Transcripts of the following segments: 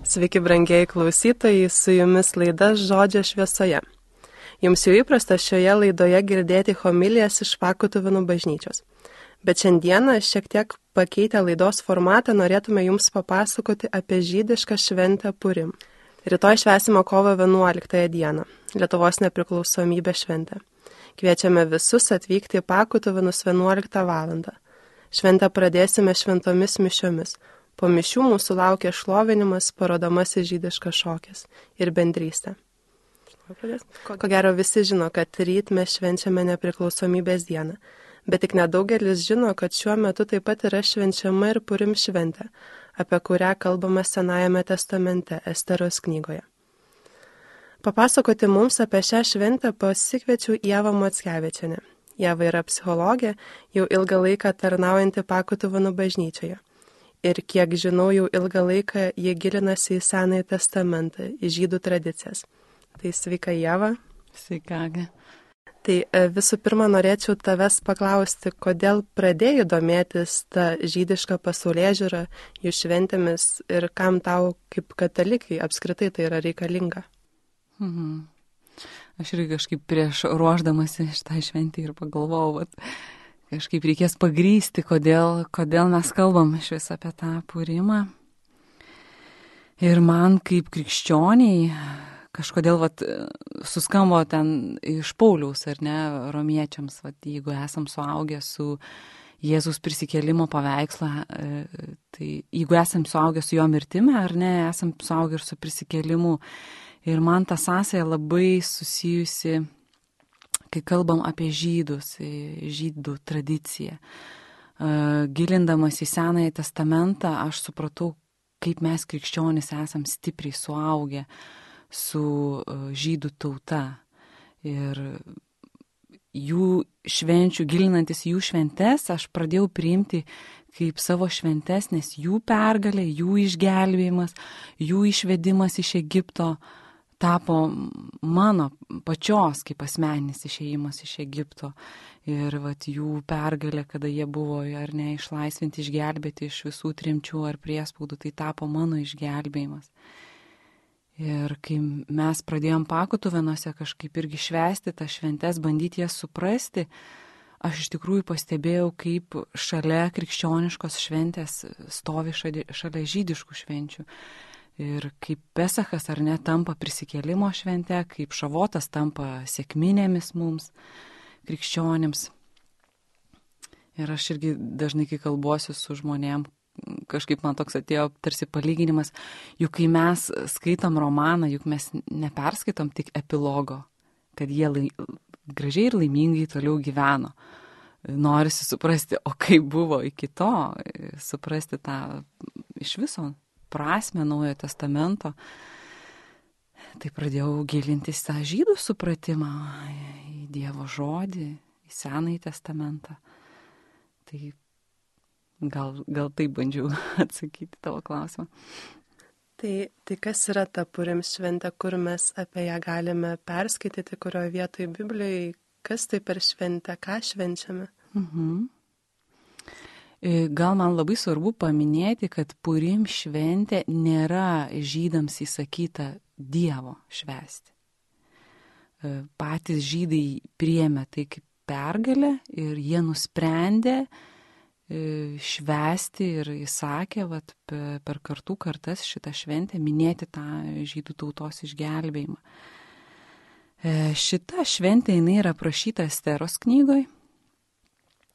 Sveiki, brangieji klausytojai, su jumis laida Žodžio šviesoje. Jums jau įprasta šioje laidoje girdėti homilijas iš Pakutuvėnų bažnyčios. Bet šiandieną šiek tiek pakeitę laidos formatą norėtume jums papasakoti apie žydišką šventę Purim. Rytoj švęsime kovo 11 dieną, Lietuvos nepriklausomybės šventę. Kviečiame visus atvykti į Pakutuvėnus 11 valandą. Šventę pradėsime šventomis mišiomis. Po mišių mūsų laukia šlovinimas, parodomasis žydiškas šokis ir bendrystė. Ko gero visi žino, kad ryt mes švenčiame nepriklausomybės dieną, bet tik nedaugelis žino, kad šiuo metu taip pat yra švenčiama ir Purim šventė, apie kurią kalbama Senajame testamente Esteros knygoje. Papasakoti mums apie šią šventę pasikviečiau Ievą Mockevičienę. Ieva yra psichologė, jau ilgą laiką tarnaujanti Pakutuvėnų bažnyčioje. Ir kiek žinau, jau ilgą laiką jie gilinasi į Senąjį testamentą, į žydų tradicijas. Tai sveika, Ieva. Sveika. Tai visų pirma, norėčiau tavęs paklausti, kodėl pradėjai domėtis tą žydišką pasaulėžiūrą, jų šventėmis ir kam tau kaip katalikai apskritai tai yra reikalinga? Aš irgi kažkaip prieš ruošdamasi šitą šventį ir pagalvojau, kažkaip reikės pagrysti, kodėl mes kalbam iš vis apie tą Purimą. Ir man kaip krikščioniai kažkodėl suskambo ten iš Pauliaus, ar ne, romiečiams, jeigu esam suaugę su Jėzus prisikėlimo paveikslą, tai jeigu esam suaugę su jo mirtimi, ar ne, esam suaugę ir su prisikėlimu. Ir man ta sąsaja labai susijusi, kai kalbam apie žydus, žydų tradiciją. Gilindamas į Senąjį testamentą, aš supratau, kaip mes krikščionys esam stipriai suaugę su žydų tauta. Ir jų švenčių, gilinantis jų šventes, aš pradėjau priimti kaip savo šventes, nes jų pergalė, jų išgelbėjimas, jų išvedimas iš Egipto tapo mano pačios kaip asmeninis išėjimas iš Egipto. Ir jų pergalė, kada jie buvo ar ne išlaisvinti, išgelbėti iš visų tremčių ar priespaudų, tai tapo mano išgelbėjimas. Ir kai mes pradėjom Pakutuvėnuose kažkaip irgi švęsti tas šventes, bandyti jas suprasti, aš iš tikrųjų pastebėjau, kaip šalia krikščioniškos šventės stovi šalia žydiškų švenčių. Ir kaip Pesachas ar ne tampa prisikėlimo švente, kaip Šavotas tampa sekminėmis mums, krikščionims. Ir aš irgi dažnai, kai kalbuosiu su žmonėm, kažkaip man toks atėjo tarsi palyginimas, juk kai mes skaitom romaną, juk mes neperskaitom tik epilogo, kad jie gražiai ir laimingai toliau gyveno. Norisi suprasti, o kaip buvo iki to, suprasti tą iš viso prasmę Naujojo testamento. Tai pradėjau gilintis tą žydų supratimą į Dievo žodį, į Senąjį testamentą. Tai gal taip bandžiau atsakyti tavo klausimą. Tai kas yra ta Purim šventė, kur mes apie ją galime perskaityti, kurioje vietoje Biblijoje, kas tai per šventę, ką švenčiame? Gal man labai svarbu paminėti, kad Purim šventė nėra žydams įsakyta Dievo švęsti. Patys žydai priėmė tai kaip pergalę ir jie nusprendė švęsti ir įsakė per kartų kartas šitą šventę minėti tą žydų tautos išgelbėjimą. Šita šventė jinai yra aprašyta Esteros knygoje.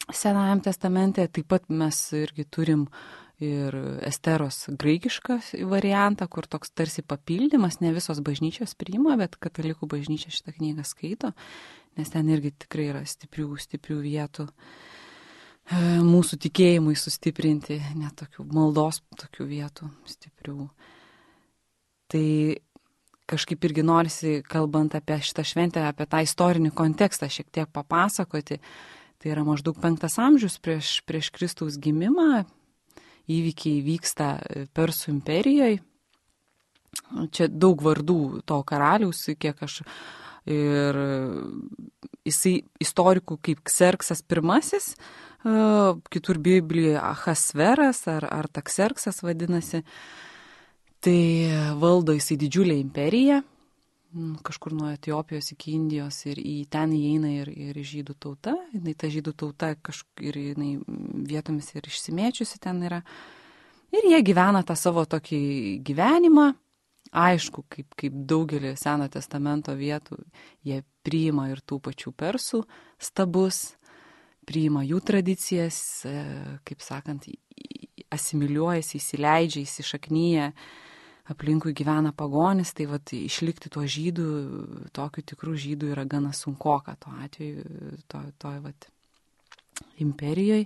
Senajam testamente taip pat mes irgi turim ir Esteros graikišką variantą, kur toks tarsi papildymas, ne visos bažnyčios priima, bet katalikų bažnyčia šitą knygą skaito, nes ten irgi tikrai yra stiprių vietų mūsų tikėjimui sustiprinti, net tokių maldos tokių vietų stiprių. Tai kažkaip irgi norisi, kalbant apie šitą šventę, apie tą istorinį kontekstą šiek tiek papasakoti. Tai yra maždaug 5 amžius prieš Kristaus gimimą, įvykiai vyksta Persų imperijoje. Čia daug vardų to karaliaus, kiek aš ir jisai istorikų kaip Kserksas I, kitur Biblijoje Ahasveras ar Takserksas vadinasi. Tai valdo jisai didžiulę imperiją, kažkur nuo Etiopijos iki Indijos ir į ten įeina ir žydų tauta. Ta žydų tauta ir jinai vietomis ir išsimėčiusi ten yra. Ir jie gyvena tą savo tokį gyvenimą. Aišku, kaip daugelį Seno testamento vietų, jie priima ir tų pačių persų stabus, priima jų tradicijas, kaip sakant, asimiliuojasi, įsileidžia, įsišaknyja, aplinkui gyvena pagonis, tai vat išlikti tuo žydų, tokių tikrų žydų yra gana sunkoka tuo atveju, toj vat imperijoje.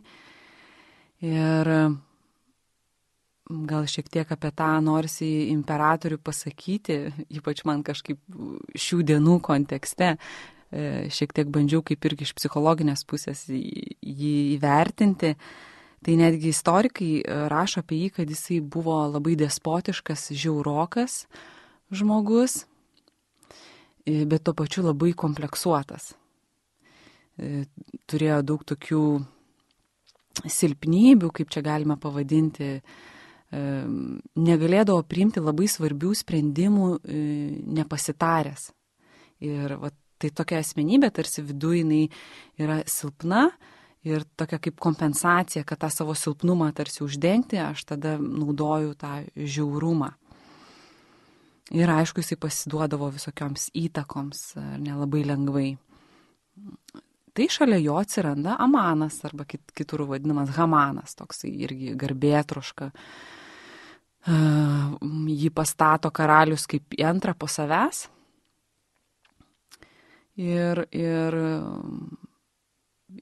Ir gal šiek tiek apie tą norisi imperatorių pasakyti, ypač man kažkaip šių dienų kontekste, šiek tiek bandžiau kaip irgi iš psichologinės pusės jį įvertinti. Tai netgi istorikai rašo apie jį, kad jisai buvo labai despotiškas, žiaurokas žmogus, bet tuo pačiu labai kompleksuotas. Turėjo daug tokių silpnybių, kaip čia galima pavadinti, negalėdavo priimti labai svarbių sprendimų nepasitaręs. Ir va, tai tokia asmenybė, tarsi viduje jinai yra silpna ir tokia kaip kompensacija, kad tą savo silpnumą tarsi uždengti, aš tada naudoju tą žiaurumą. Ir aišku, jisai pasiduodavo visokioms įtakoms, ar nelabai lengvai. Tai šalia jo atsiranda Amanas, arba kitur vadinamas Hamanas, toksai irgi garbėtroška. Jį pastato karalius kaip antrą po savęs. Ir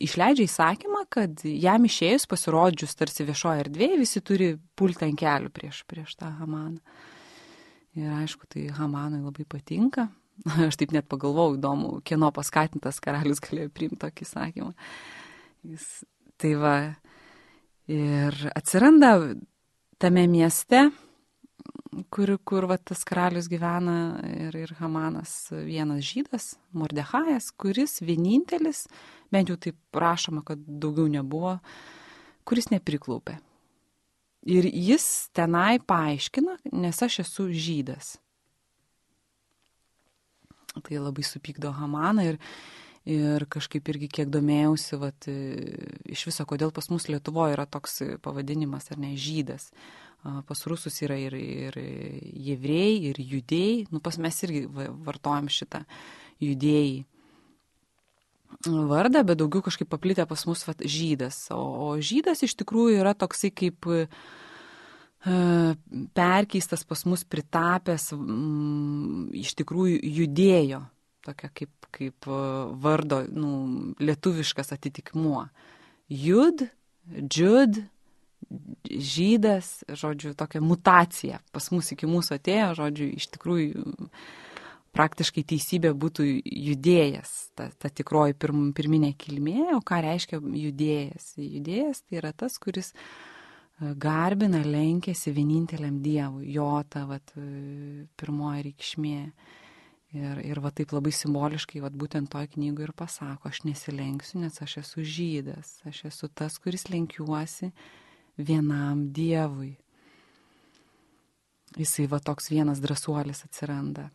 išleidžia įsakymą, kad jam išėjus pasirodžius tarsi viešoje erdvėje, visi turi pulti ant kelių prieš tą Hamaną. Ir aišku, tai Hamanui labai patinka. Aš taip net pagalvojau, įdomu, kieno paskatintas karalius galėjo priimti tokį įsakymą. Tai va, ir atsiranda tame mieste, kur va, tas karalius gyvena ir Hamanas vienas žydas, Mordechajas, kuris vienintelis, bent jau taip rašoma, kad daugiau nebuvo, kuris nepriklaupė. Ir jis tenai paaiškina, nes aš esu žydas. Tai labai supykdo Hamaną ir kažkaip irgi kiek domėjausi, vat, iš viso, kodėl pas mus Lietuvoje yra toks pavadinimas, ar ne, žydas. Pas rusus yra ir jevrėjai, ir judėjai. Pas mes irgi vartojam šitą judėjai vardą, bet daugiau kažkaip paplitę pas mus vat, žydas. O žydas iš tikrųjų yra toksai kaip perkeistas pas mus pritapęs iš tikrųjų judėjo, tokia kaip vardo lietuviškas atitikmuo. Jud, džud, žydas, žodžiu, tokia mutacija pas mus iki mūsų atėjo, žodžiu, iš tikrųjų praktiškai teisybė būtų judėjas, ta tikroji pirminė kilmė, o ką reiškia judėjas? Judėjas tai yra tas, kuris garbina, lenkėsi vieninteliam Dievui, jo ta vat, pirmoji reikšmė. Ir va taip labai simboliškai, va būtent toj knygoje ir pasako, aš nesilenksiu, nes aš esu žydas, aš esu tas, kuris lenkiuosi vienam Dievui. Jisai va toks vienas drąsuolis atsiranda.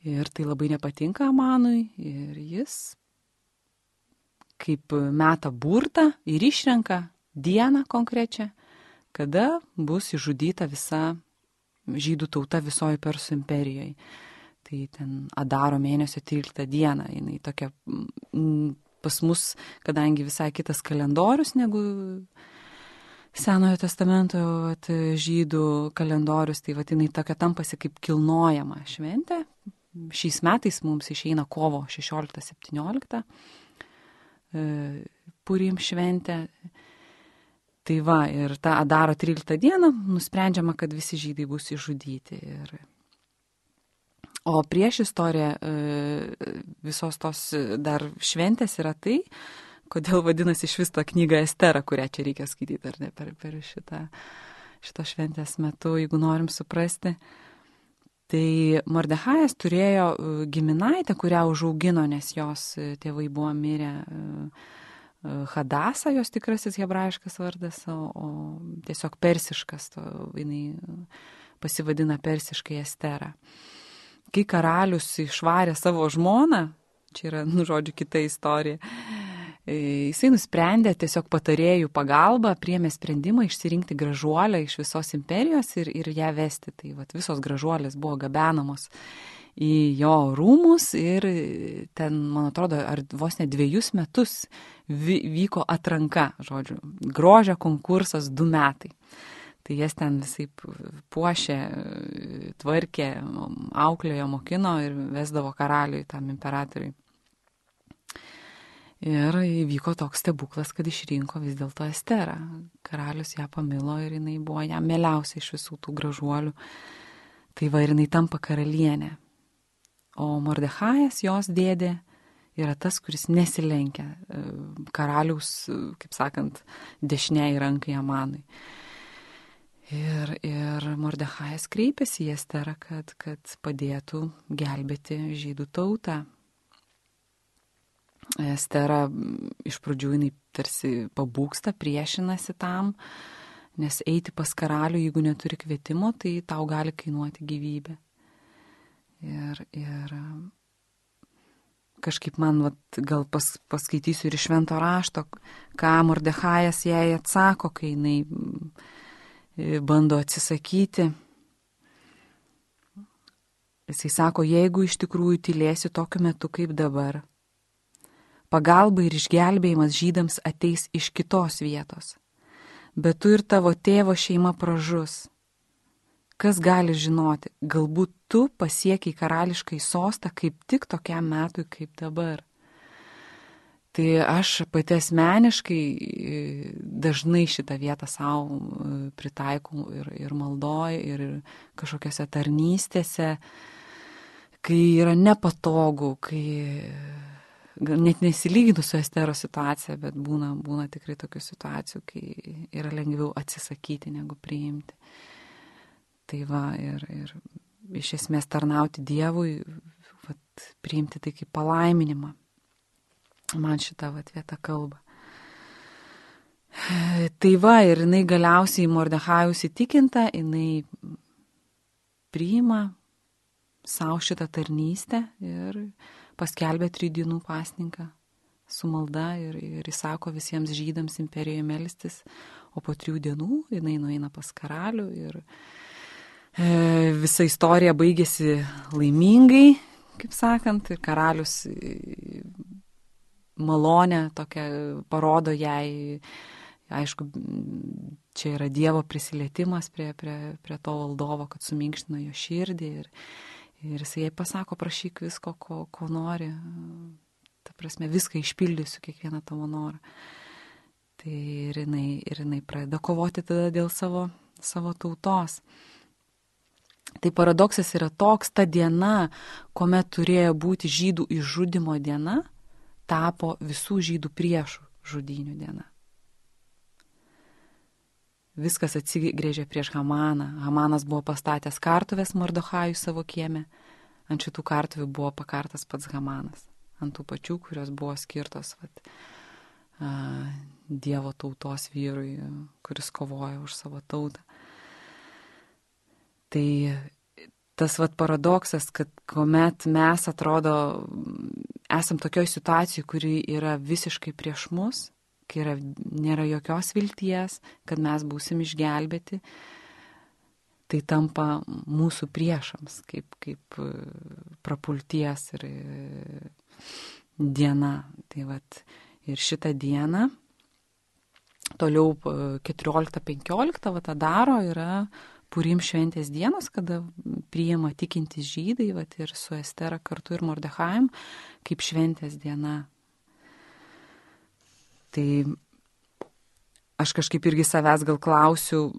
Ir tai labai nepatinka Amanui ir jis kaip meta burtą ir išrenka dieną konkrečią, kada bus išžudyta visa žydų tauta visoje Persų imperijoje. Tai ten Adaro mėnesio 13 dieną, jinai tokia pas mus, kadangi visai kitas kalendorius negu Senojo testamento žydų kalendorius, tai jinai tokia tampasi kaip kilnojama šventė. Šiais metais mums išeina kovo 16-17 Purim šventė. Tai va, ir tą Adaro 13 dieną nusprendžiama, kad visi žydai bus išžudyti. O prieš istoriją visos tos dar šventės yra tai, kodėl vadinasi iš vis tą knygą Estera, kurią čia reikia skaityti, ar ne, per šito šventės metu, jeigu norim suprasti. Tai Mordechajas turėjo giminaitę, kurią užaugino, nes jos tėvai buvo mirę Hadasa, jos tikrasis hebrajiškas vardas, o tiesiog persiškas, jinai pasivadina persiškai Estera. Kai karalius išvarė savo žmoną, čia yra, žodžiu, kita istorija, jisai nusprendė tiesiog patarėjų pagalba, priėmė sprendimą išsirinkti gražuolę iš visos imperijos ir ją vesti. Tai visos gražuolės buvo gabenamos į jo rūmus ir ten, man atrodo, ar vos ne 2 metus vyko atranka, žodžiu, grožio konkursas 2 metai. Tai jas ten visai puošė, tvarkė, auklėjo, mokino ir vesdavo karaliui, tam imperatoriui. Ir įvyko toks stebuklas, kad išrinko vis dėlto Esterą. Karalius ją pamilo ir jinai buvo jam mieliausia iš visų tų gražuolių. Tai va ir jinai tampa karalienė. O Mordechajas, jos dėdė, yra tas, kuris nesilenkia karaliaus, kaip sakant, dešiniai rankai Amanui. Ir Mordechajas kreipėsi į Esterą, kad padėtų gelbėti žydų tautą. Estera iš pradžių jinai tarsi pabūgsta, priešinasi tam, nes eiti pas karalių, jeigu neturi kvietimo, tai tau gali kainuoti gyvybę. Ir kažkaip man gal paskaitysiu ir iš švento rašto, ką Mordechajas jai atsako, kai jinai bando atsisakyti. Jisai sako, jeigu iš tikrųjų tylėsi tokiu metu kaip dabar, pagalba ir išgelbėjimas žydams ateis iš kitos vietos, bet tu ir tavo tėvo šeima pražus. Kas gali žinoti, galbūt tu pasiekiai karališkai sostą kaip tik tokiam metui kaip dabar. Tai aš pati asmeniškai dažnai šitą vietą savo pritaikau ir maldoj, ir kažkokiose tarnystėse, kai yra nepatogu, kai net nesilyginu su Esteros situacija, bet būna tikrai tokių situacijų, kai yra lengviau atsisakyti negu priimti. Tai va, ir iš esmės tarnauti Dievui, priimti tai kaip palaiminimą. Man šita vieta kalba. Tai va, ir jinai galiausiai Mordechajaus įtikinta, jinai priima savo šitą tarnystę ir paskelbė 3 dienų pasninką su malda ir įsako visiems žydams imperijoje melstis, o po 3 dienų jinai nueina pas karalių ir visa istorija baigėsi laimingai, kaip sakant, ir karalius malonę tokią parodo jai, aišku, čia yra Dievo prisilietimas prie to valdovo, kad suminkštino jo širdį ir jisai jai pasako, prašyk visko, ko nori, ta prasme, viską išpildysiu, kiekvieną tavo norą. Tai ir jinai pradeda kovoti tada dėl savo tautos. Tai paradoksas yra toks, ta diena, kuomet turėjo būti žydų išžudymo diena, tapo visų žydų priešų žudynių diena. Viskas atsigrėžė prieš Hamaną. Hamanas buvo pastatęs kartuves Mordechajui savo kieme. Ant šitų kartuvių buvo pakartas pats Hamanas. Ant tų pačių, kurios buvo skirtos Dievo tautos vyrui, kuris kovoja už savo tautą. Tai tas paradoksas, kad kuomet mes atrodo esam tokioj situacijai, kuri yra visiškai prieš mus, kai nėra jokios vilties, kad mes būsim išgelbėti, tai tampa mūsų priešams, kaip prapulties ir diena. Tai ir šitą dieną, toliau 14-15 tą daro, yra Purim šventės dienos, kada priima tikintys žydai, ir su Estera kartu ir Mordechajum, kaip šventės diena. Tai aš kažkaip irgi savęs gal klausiu,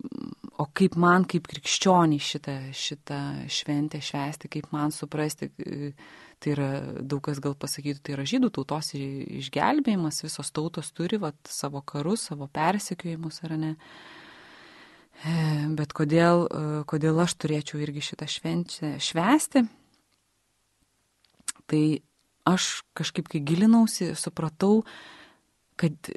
o kaip man, kaip krikščioniai šitą šventę švęsti, kaip man suprasti, tai yra, daug kas gal pasakytų, tai yra žydų tautos išgelbėjimas, visos tautos turi savo karus, savo persekiojimus, ar ne? Bet kodėl aš turėčiau irgi šitą šventę švęsti? Tai aš kažkaip, kai gilinausi, supratau, kad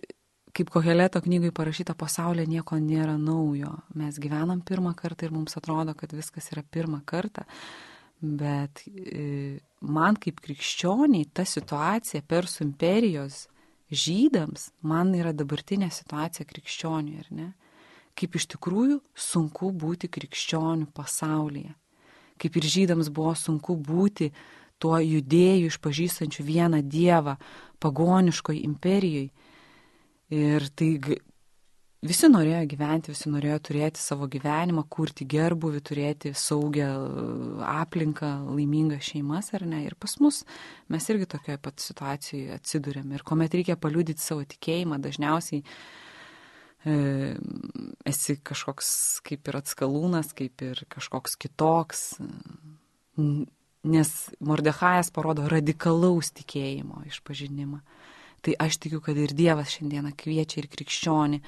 kaip Koheleto knygai parašyta, pasaulyje nieko nėra naujo. Mes gyvenam pirmą kartą ir mums atrodo, kad viskas yra pirmą kartą. Bet man kaip krikščioniai ta situacija Persų imperijos žydams, man yra dabartinė situacija krikščioniui, ar ne? Kaip iš tikrųjų sunku būti krikščionių pasaulyje. Kaip ir žydams buvo sunku būti tuo judėju išpažįstančiu vieną dievą pagoniškoj imperijoj. Ir tai visi norėjo gyventi, visi norėjo turėti savo gyvenimą, kurti gerbuvį, turėti saugią aplinką, laimingas šeimas, ar ne? Ir pas mus mes irgi tokioje pat situacijoje atsidūrėm. Ir kuomet reikia paliudyti savo tikėjimą, dažniausiai esi kažkoks kaip ir atskalūnas, kaip ir kažkoks kitoks, nes Mordechajas parodo radikalaus tikėjimo išpažinimą. Tai aš tikiu, kad ir Dievas šiandieną kviečia ir krikščionį,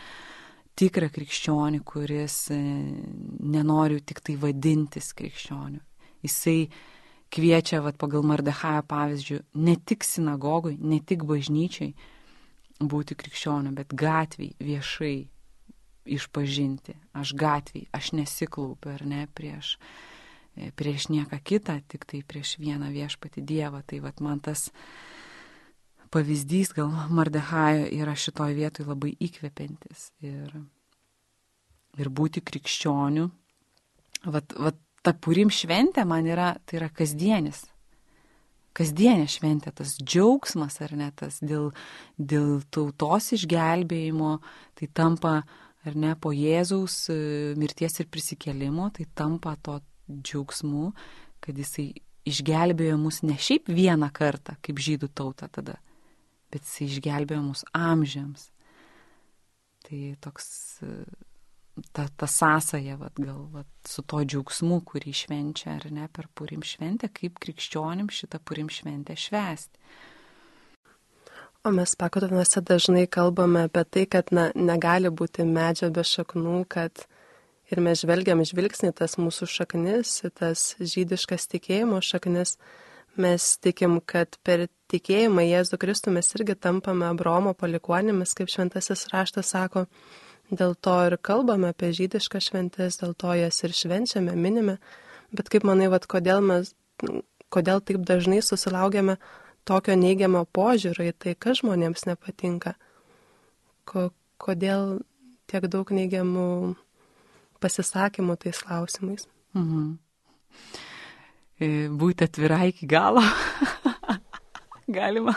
tikrą krikščionį, kuris nenori tik tai vadintis krikščioniu. Jisai kviečia, pagal Mordechajo pavyzdžių, ne tik sinagogui, ne tik bažnyčiai būti krikščioniu, bet gatviai, viešai išpažinti. Aš gatviai, aš nesiklaupiu, ar ne, prieš nieką kitą, tik tai prieš vieną viešpatį Dievą. Tai man tas pavyzdys gal Mordechajo yra šitoj vietoj labai įkvepiantis ir būti krikščioniu. Ta Purim šventė man tai yra kasdienė šventė, tas džiaugsmas, ar ne, tas dėl tautos išgelbėjimo, tai tampa, ar ne, po Jėzaus mirties ir prisikėlimo, tai tampa to džiaugsmu, kad jisai išgelbėjo mus ne šiaip vieną kartą, kaip žydų tauta tada, bet jisai išgelbėjo mus amžiams. Tai toks, ta sąsaja, su to džiaugsmu, kurį švenčia, ar ne, per Purim šventę, kaip krikščionim šitą Purim šventę švęsti. O mes pakotovinuose dažnai kalbame apie tai, kad negali būti medžio be šaknų, kad ir mes žvelgiam žvilgsnį tas mūsų šaknis, tas žydiškas tikėjimo šaknis. Mes tikim, kad per tikėjimą Jėzų Kristų mes irgi tampame Abraomo palikuonimis, kaip šventasis raštas sako. Dėl to ir kalbame apie žydiškas šventes, dėl to jas ir švenčiame, minime. Bet kaip manai, kodėl taip dažnai susilaukiame tokio neigiamo požiūrio į tai, kas žmonėms nepatinka? Kodėl tiek daug neigiamų pasisakymų tais klausimais? Mhm. Būti atvirai iki galo. Galima.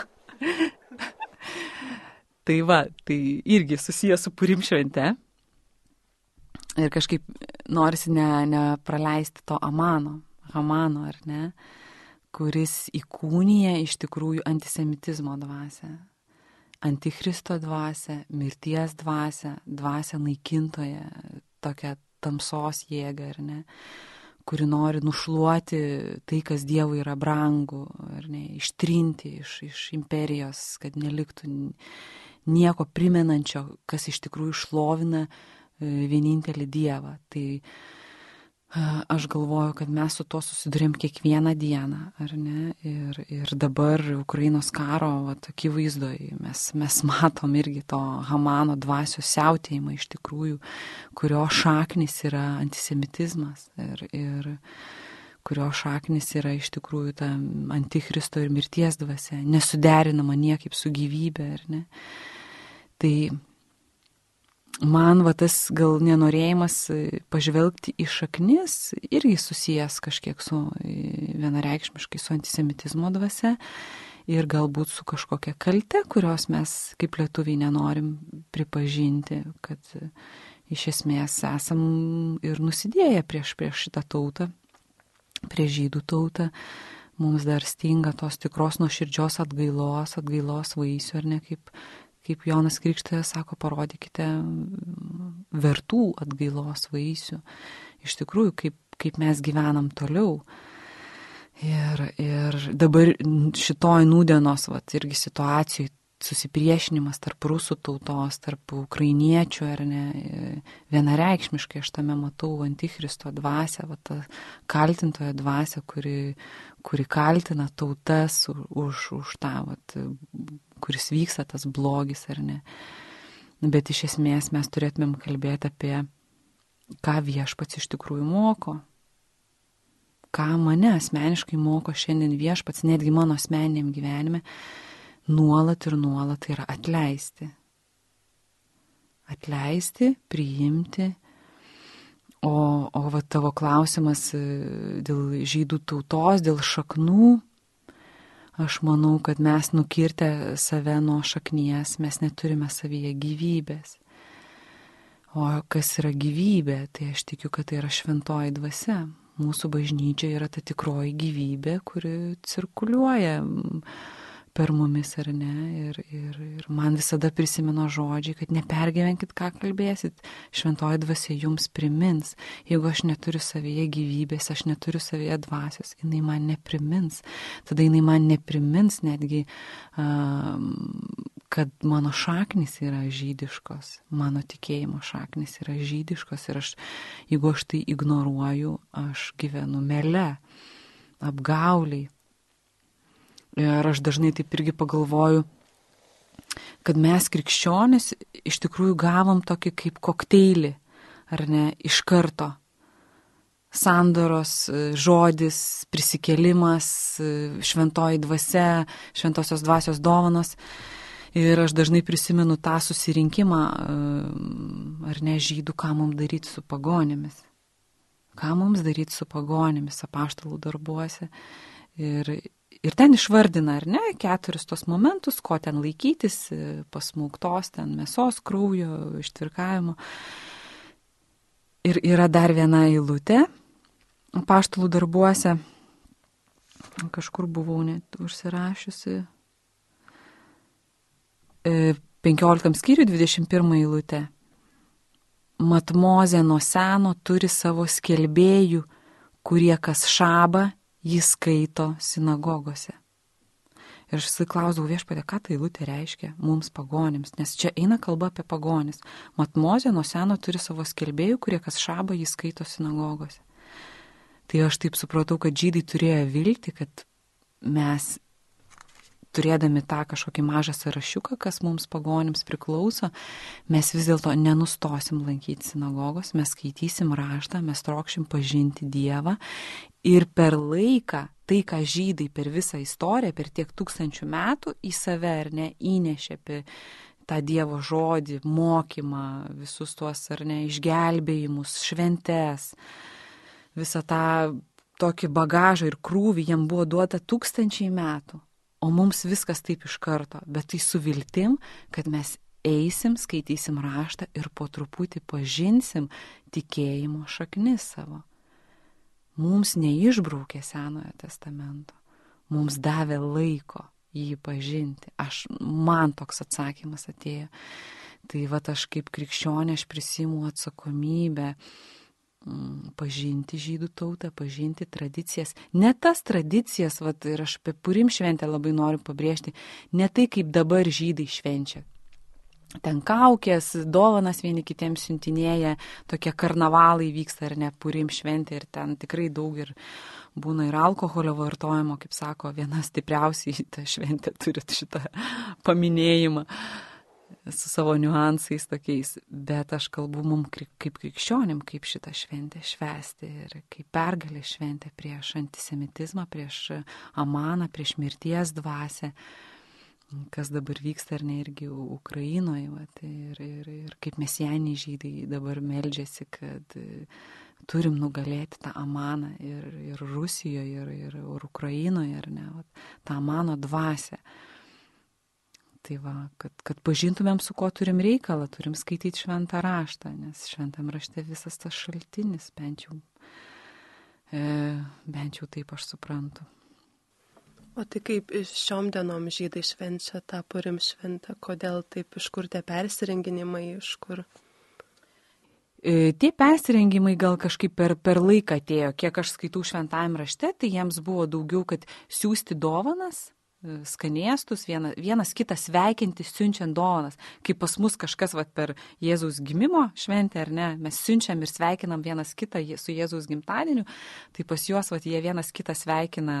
Tai irgi susijęs su Purim švente. Ir kažkaip norisi nepraleisti to Hamano, ar ne, kuris įkūnija iš tikrųjų antisemitizmo dvasią, antichristo dvasią, mirties dvasią naikintoje, tokią tamsos jėgą, ar ne, kuri nori nušluoti tai, kas Dievui yra brangu, ar ne, ištrinti iš imperijos, kad neliktų nieko primenančio, kas iš tikrųjų šlovina vienintelį Dievą. Tai aš galvoju, kad mes su to susidurėm kiekvieną dieną, ar ne, ir dabar Ukrainos karo akivaizdoj mes matom irgi to Hamano dvasios siautėjimą iš tikrųjų, kurio šaknis yra antisemitizmas ir kurio šaknis yra iš tikrųjų ta antichristo ir mirties dvasia, nesuderinama niekaip su gyvybė, ar ne. Tai man tas gal nenorėjimas pažvelgti į šaknis irgi susijęs kažkiek su vienareikšmiškai su antisemitizmo dvasia ir galbūt su kažkokia kalte, kurios mes kaip lietuviai nenorim pripažinti, kad iš esmės esam ir nusidėję prieš šitą tautą, prieš žydų tautą. Mums dar stinga tos tikros nuoširdžios atgailos vaisių, ar ne, kaip Jonas Krikštytojas sako, parodykite vertų atgailos vaisių. Iš tikrųjų, kaip mes gyvenam toliau. Ir dabar šitoj nūdienos irgi situacijai susipriešinimas tarp rusų tautos, tarp ukrainiečių, ar ne, vienareikšmiškai aš tame matau antichristo dvasią, tą kaltintojo dvasią, kuri kaltina tautas už tą kuris vyksta tas blogis ar ne. Bet iš esmės mes turėtumėm kalbėti apie, ką viešpats iš tikrųjų moko. Ką mane asmeniškai moko šiandien viešpats, netgi mano asmeniniam gyvenime, nuolat ir nuolat tai yra atleisti. Atleisti, priimti. O va tavo klausimas dėl žydų tautos, dėl šaknų, aš manau, kad mes nukirtę save nuo šaknies, mes neturime savyje gyvybės. O kas yra gyvybė, tai aš tikiu, kad tai yra šventoji dvasia. Mūsų bažnyčia yra ta tikroji gyvybė, kuri cirkuliuoja per mumis ar ne. Ir man visada prisimena žodžiai, kad nepergyvenkit, ką kalbėsit. Šventoji dvasia jums primins. Jeigu aš neturiu savyje gyvybės, aš neturiu savyje dvasios, jinai man neprimins. Tada jinai man neprimins netgi, kad mano šaknis yra žydiškos. Mano tikėjimo šaknis yra žydiškos. Ir jeigu aš tai ignoruoju, aš gyvenu mele, apgauliai. Ir aš dažnai taip irgi pagalvoju, kad mes krikščionys iš tikrųjų gavom tokį kaip kokteilį, ar ne, iš karto. Sandoros žodis, prisikėlimas, šventoji dvasia, šventosios dvasios dovanos. Ir aš dažnai prisimenu tą susirinkimą, ar ne, žydų, ką mums daryti su pagonėmis. Ką mums daryti su pagonėmis apaštalų darbuose. Ir ten išvardina, ar ne, 4 tos momentus, ko ten laikytis, pasmauktos ten mėsos, kraujo, ištvirkavimo. Ir yra dar viena eilutė apaštalų darbuose, kažkur buvau net užsirašiusi, 15 skyrių 21 eilutė. Mat Mozė nuo seno turi savo skelbėjų, kurie kas šabą jis skaito sinagogose. Ir aš klausau viešpatie, ką ta eilutė reiškia mums pagonims, nes čia eina kalba apie pagonis. Mat Mozė nuo seno turi savo skelbėjų, kurie kas šabą jis skaito sinagogose. Tai aš taip supratau, kad žydai turėjo viltį, kad mes, turėdami tą kažkokį mažą sąrašiuką, kas mums pagonims priklauso, mes vis dėlto nenustosim lankyti sinagogos, mes skaitysim raštą, mes trokšim pažinti Dievą ir per laiką, tai ką žydai per visą istoriją, per tiek 1000 metų į save ar ne įnešė apie tą Dievo žodį, mokymą, visus tuos ar ne išgelbėjimus, šventes, visą tą tokį bagažą ir krūvį jam buvo duota 1000 metų. O mums viskas taip iš karto, bet tai su viltim, kad mes eisim, skaitysim raštą ir po truputį pažinsim tikėjimo šaknis savo. Mums neišbraukė Senojo testamento, mums davė laiko jį pažinti. Man toks atsakymas atėjo. Tai aš kaip krikščionė, aš prisiimu atsakomybę pažinti žydų tautą, pažinti tradicijas. Ne tas tradicijas, ir aš apie Purim šventę labai noriu pabrėžti, ne tai kaip dabar žydai švenčia. Ten kaukės, dovanas vieni kitiems siuntinėja, tokie karnavalai vyksta ar ne, Purim šventė ir ten tikrai daug ir būna ir alkoholio vartojimo, kaip sako, viena stipriausiai ta šventė turi šitą paminėjimą su savo niuansais tokiais, bet aš kalbu mum kaip krikščionim, kaip šitą šventę švęsti ir kaip pergalę šventę prieš antisemitizmą, prieš Amaną, prieš mirties dvasią, kas dabar vyksta ar ne irgi Ukrainoje. Ir kaip mesijaniai žydai dabar meldžiasi, kad turim nugalėti tą Amaną ir Rusijoje, ir Ukrainoje, ar ne, tą Amano dvasią. Tai kad pažintumėm, su kuo turim reikalą, turim skaityti šventą raštą, nes šventam rašte visas tas šaltinis, bent jau taip aš suprantu. O tai kaip šiom dienom žydai švenčia tą Purim šventę, kodėl taip, iš kur tie persirenginimai, iš kur? Tie persirengimai gal kažkaip per laiką atėjo, kiek aš skaitau šventajam rašte, tai jiems buvo daugiau, kad siūsti dovanas, skanėstus, vienas kitą sveikinti, siunčiant dovanas. Kaip pas mus kažkas per Jėzaus gimimo šventę, ar ne, mes siunčiam ir sveikinam vienas kitą su Jėzaus gimtadieniu, tai pas juos jie vienas kitą sveikina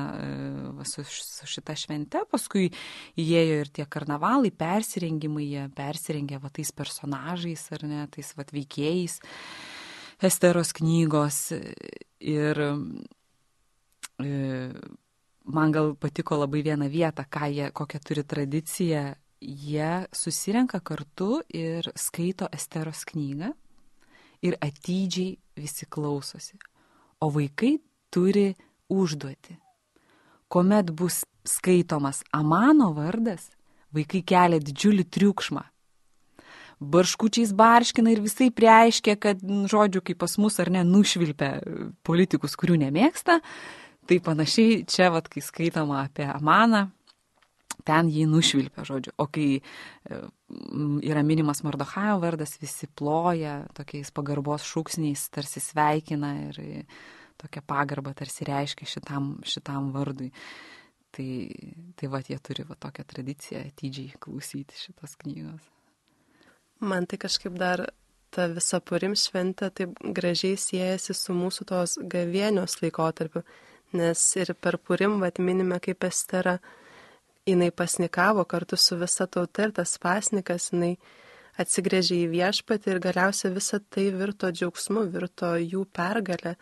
su šita švente, paskui įėjo ir tie karnavalai, persirengimai, jie persirengia tais personažais, ar ne, tais veikėjais Esteros knygos ir man gal patiko labai vieną vietą, kokią turi tradiciją. Jie susirenka kartu ir skaito Esteros knygą ir atidžiai visi klausosi. O vaikai turi užduotį. Kuomet bus skaitomas Amano vardas, vaikai kelia didžiulį triukšmą. Barškučiais barškina ir visai priaiškia, kad, žodžiu, kaip pas mus ar ne, nušvilpia politikus, kurių nemėgsta. Tai panašiai čia, kai skaitama apie Amaną, ten jį nušvilpia, žodžiu. O kai yra minimas Mardochajo vardas, visi ploja tokiais pagarbos šūksniais, tarsi sveikina ir tokia pagarba tarsi reiškia šitam vardui. Tai jie turi tokią tradiciją atidžiai klausyti šitos knygos. Man tai kažkaip dar ta visa Purim šventė taip gražiai siejasi su mūsų tos gavėnios laikotarpiu, nes ir per Purim minime kaip Estera, jinai pasnikavo kartu su visa tauta ir tas pasnikas, jinai atsigrėžė į viešpatį ir galiausiai visa tai virto džiaugsmu, virto jų pergalę.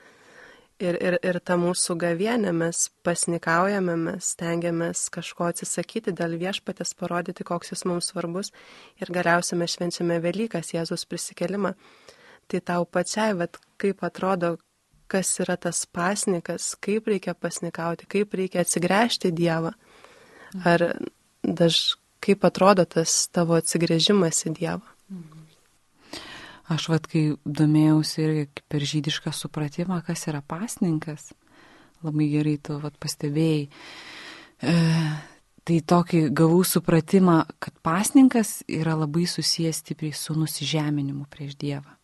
Ir ta mūsų gavėnė, mes pasnikaujame, mes stengiamės kažko atsisakyti dėl viešpatės, parodyti, koks jis mums svarbus ir galiausiai mes švenčiame Velykas, Jėzus prisikėlimą. Tai tau pačiai, kaip atrodo, kas yra tas pasnikas, kaip reikia pasnikauti, kaip reikia atsigręžti Dievą. Ar kaip atrodo tas tavo atsigręžimas į Dievą? Aš kai domėjausi irgi per žydišką supratimą, kas yra pasninkas, labai gerai tu pastebėjai, tai tokį gavau supratimą, kad pasninkas yra labai susijęs stipriai su nusižeminimu prieš Dievą.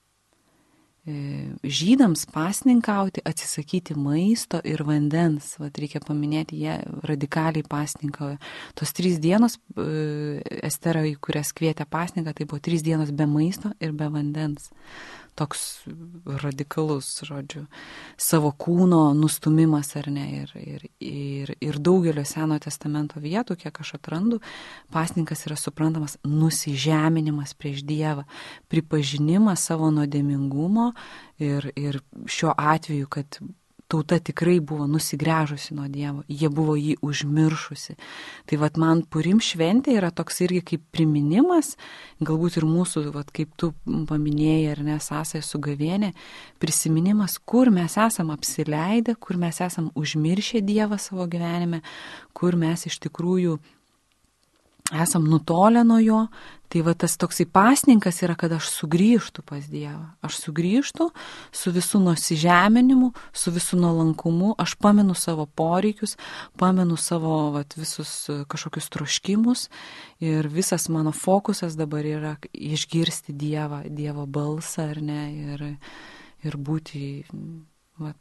Žydams pasninkauti, atsisakyti maisto ir vandens, reikia paminėti, jie radikaliai pasninkauja. Tos 3 dienos, Estera, į kurias kvietė pasninką, tai buvo 3 dienos be maisto ir be vandens. Toks radikalus, žodžiu, savo kūno nustumimas, ar ne, ir daugelio Senojo testamento vietų, kiek aš atrandu, pasninkas yra suprantamas nusižeminimas prieš Dievą, pripažinimas savo nuodėmingumo ir šiuo atveju, kad tauta tikrai buvo nusigręžusi nuo Dievo, jie buvo jį užmiršusi. Tai man Purim šventė yra toks irgi kaip priminimas, galbūt ir mūsų, kaip tu paminėjai, ar ne, sąsaja su gavėnė, prisiminimas, kur mes esam apsileidę, kur mes esam užmiršę Dievą savo gyvenime, kur mes iš tikrųjų esam nutolę nuo jo. Tai tas toksai pasninkas yra, kad aš sugrįžtu pas Dievą. Aš sugrįžtu su visų nusižeminimu, su visų nuolankumu, aš pamenu savo poreikius, pamenu savo visus kažkokius troškimus ir visas mano fokusas dabar yra išgirsti Dievo balsą, ar ne, ir būti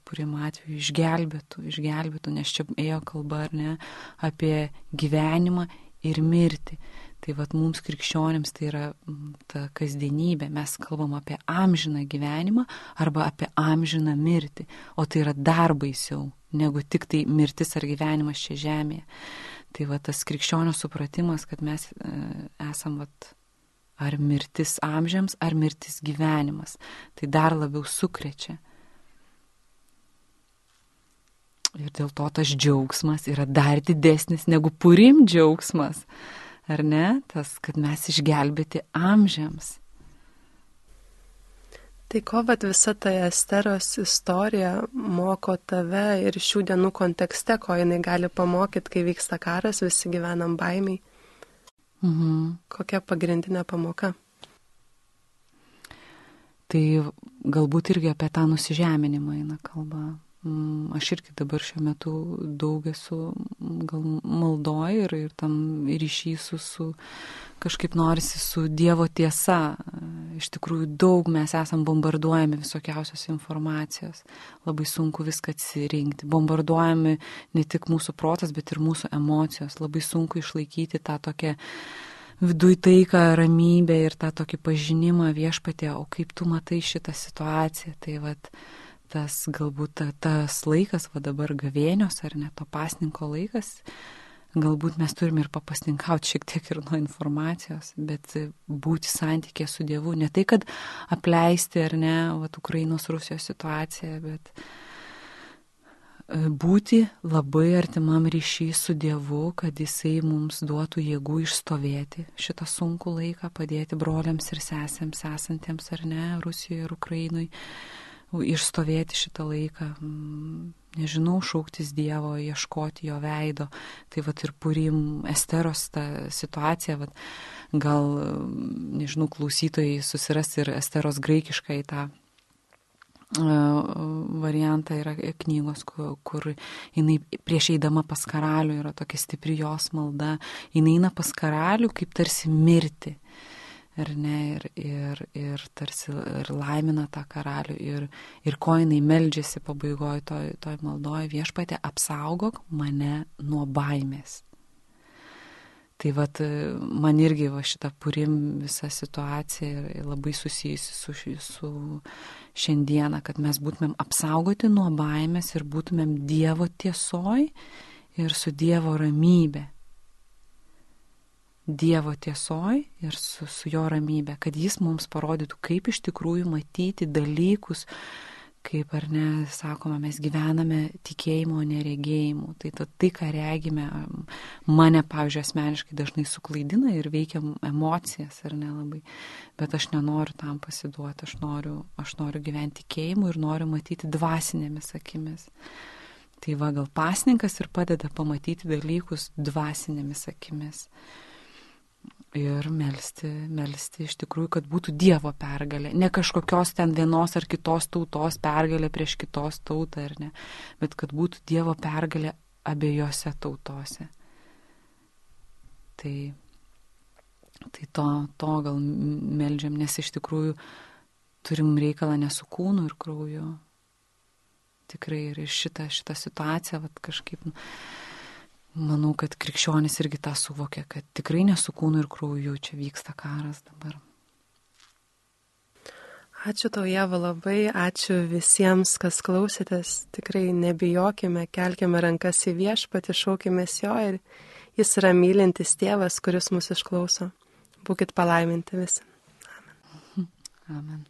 Purim atveju išgelbėtų, nes čia ėjo kalba, ar ne, apie gyvenimą ir mirti. Tai mums krikščionims tai yra ta kasdienybė. Mes kalbam apie amžiną gyvenimą arba apie amžiną mirtį. O tai yra dar baisiau negu tik tai mirtis ar gyvenimas čia žemėje. Tai tas krikščionio supratimas, kad mes esam ar mirtis amžiams, ar mirtis gyvenimas. Tai dar labiau sukrečia. Ir dėl to tas džiaugsmas yra dar didesnis negu Purim džiaugsmas. Ar ne? Tas, kad mes išgelbėti amžiams. Tai ko visa ta Esteros istorija moko tave ir šių dienų kontekste, ko jinai gali pamokyti, kai vyksta karas, visi gyvenam baimiai? Kokia pagrindinė pamoka? Tai galbūt irgi apie tą nusižeminimą eina kalba. Aš irgi dabar šiuo metu daug esu gal maldoj ir tam ryšy su kažkaip norisi su Dievo tiesa. Iš tikrųjų daug mes esam bombarduojami visokiausios informacijos. Labai sunku viską atsirinkti. Bombarduojami ne tik mūsų protas, bet ir mūsų emocijos. Labai sunku išlaikyti tą tokią viduj taiką, ramybę ir tą tokį pažinimą Viešpatie, o kaip tu matai šitą situaciją. Tai vat tas galbūt tas laikas, va dabar gavėnios ar ne to pasninko laikas, galbūt mes turime ir papasninkauti šiek tiek ir nuo informacijos, bet būti santykė su Dievu, ne tai, kad apleisti ar ne, va Ukrainos Rusijos situaciją, bet būti labai artimam ryšy su Dievu, kad Jisai mums duotų jėgų išstovėti šitą sunkų laiką, padėti broliams ir sesėms esantiems ar ne, Rusijoje ir Ukrainui, išstovėti šitą laiką, nežinau, šauktis Dievo, ieškoti jo veido. Tai vat ir Purim Esteros ta situacija, vat, gal, nežinau, klausytojai susiras ir Esteros graikiškai tą variantą yra knygos, kur jinai prieš eidama pas karalių yra tokia stipri jos malda, jinai eina pas karalių kaip tarsi mirti. Ar ne, ir tarsi ir laimina tą karalių ir ko jinai meldžiasi pabaigoje toj maldoje, Viešpatie, apsaugok mane nuo baimės. Tai vat man irgi va šitą Purim visą situaciją labai susijusi su šiandieną, kad mes būtumėm apsaugoti nuo baimės ir būtumėm Dievo tiesoj ir su Dievo ramybė. Dievo tiesoj ir su jo ramybė, kad jis mums parodytų, kaip iš tikrųjų matyti dalykus, kaip ar ne, sakoma, mes gyvename tikėjimo, neregėjimu. Tai ką regime, mane, pavyzdžiui, asmeniškai dažnai suklaidina ir veikia emocijas, ar ne labai. Bet aš nenoriu tam pasiduoti, aš noriu gyventi tikėjimu ir noriu matyti dvasinėmis akimis. Tai va, gal pasninkas ir padeda pamatyti dalykus dvasinėmis akimis. Ir melsti iš tikrųjų, kad būtų Dievo pergalė, ne kažkokios ten vienos ar kitos tautos pergalė prieš kitos tautą, ar ne, bet kad būtų Dievo pergalė abiejose tautose. Tai to gal meldžiam, nes iš tikrųjų turim reikalą ne su kūnu ir krauju. Tikrai ir šitą situaciją vat, kažkaip... Manau, kad krikščionis irgi tą suvokia, kad tikrai ne su kūnu ir krauju čia vyksta karas dabar. Ačiū tau, Ieva, labai, ačiū visiems, kas klausėtės. Tikrai nebijokime, kelkime rankas į Viešpatį, šaukimės jo ir jis yra mylintis tėvas, kuris mus išklauso. Būkit palaiminti visi. Amen. Amen.